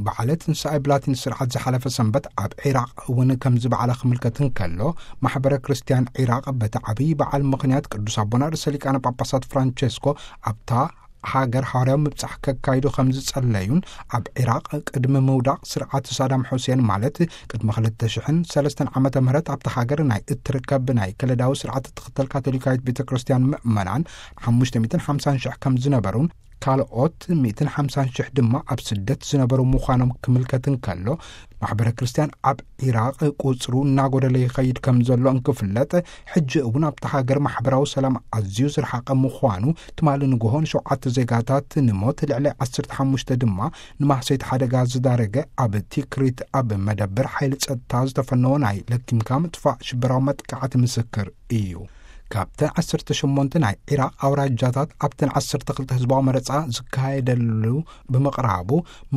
በዓለ ትንሳኤ ብላቲን ስርዓት ዝሓለፈ ሰንበት ኣብ ዒራቕ እውን ከምዚ በዓለ ክምልከት እንከሎ፣ ማሕበረ ክርስቲያን ዒራቕ በቲ ዓብዪ በዓል ምኽንያት ቅዱስ ኣቦና ርእሰ ሊቃነ ጳጳሳት ፍራንቸስኮ ኣብታ ሃገር ሃዋርያዊ ምብጻሕ ከካይዱ ከም ዝጸለዩን፣ ኣብ ዒራቕ ቅድሚ ምውዳቕ ስርዓት ሳዳም ሑሴን፣ ማለት ቅድሚ ክልተ ሽሕን ሰለስተን ዓመተ ምህረት ኣብታ ሃገር ናይ እትርከብ ናይ ከለዳዊ ስርዓት እትኽተል ካቶሊካዊት ቤተ ክርስቲያን ምእመናን ሓሙሽተ ሚእትን ሓምሳን ሽሕ ከም ዝነበሩን፣ ካልኦት ሚእትን ሓምሳን ሽሕ ድማ ኣብ ስደት ዝነበሩ ምዃኖም ክምልከት እንከሎ፣ ማሕበረ ክርስቲያን ኣብ ዒራቕ ቁጽሩ እናጎደለ ይኸይድ ከም ዘሎ እንክፍለጥ፣ ሕጂ እውን ኣብታ ሃገር ማሕበራዊ ሰላም ኣዝዩ ዝረሓቐ ምዃኑ፣ ትማሊ ንግሆ ንሸውዓተ ዜጋታት ንሞት፣ ልዕሊ ዓሰርተ ሓሙሽተ ድማ ንማህሰይቲ ሓደጋ ዝዳረገ፣ ኣብ ቲክሪት ኣብ መደበር ሓይሊ ጸጥታ ዝተፈነወ ናይ ለኪምካ ምጥፋእ ሽበራዊ መጥቃዕቲ ምስክር እዩ። ካብተን ዓሰርተ ሸሞንተ ናይ ዒራቕ ኣውራጃታት ኣብተን ዓሰርተ ክልተ ህዝባዊ መረጻ ዝካየደሉ ብምቕራቡ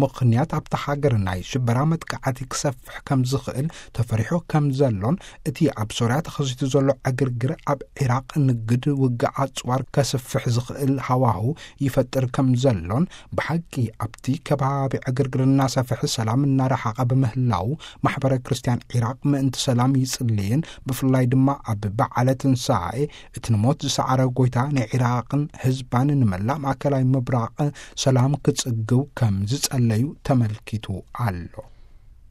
ምኽንያት ኣብታ ሃገር ናይ ሽበራ መጥቃዕቲ ክሰፍሕ ከም ዝኽእል ተፈሪሑ ከም ዘሎን፣ እቲ ኣብ ሶርያ ተኸሲቱ ዘሎ ዕግርግር ኣብ ዒራቕ ንግድ ውግእ ኣጽዋር ከስፍሕ ዝኽእል ሃዋሁ ይፈጥር ከም ዘሎን፣ ብሓቂ ኣብቲ ከባቢ ዕግርግር እናሰፍሐ ሰላም እናረሓቐ ብምህላው ማሕበረ ክርስቲያን ዒራቕ ምእንቲ ሰላም ይጽልይን፣ ብፍላይ ድማ ኣብ በዓለ ትንሳኤ እቲ ንሞት ዝሰዓረ ጎይታ ንዒራቕን ህዝባን ንመላእ ማእከላይ ምብራቕ ሰላም ክጽግው ከም ዝጸለዩ ተመልኪቱ ኣሎ።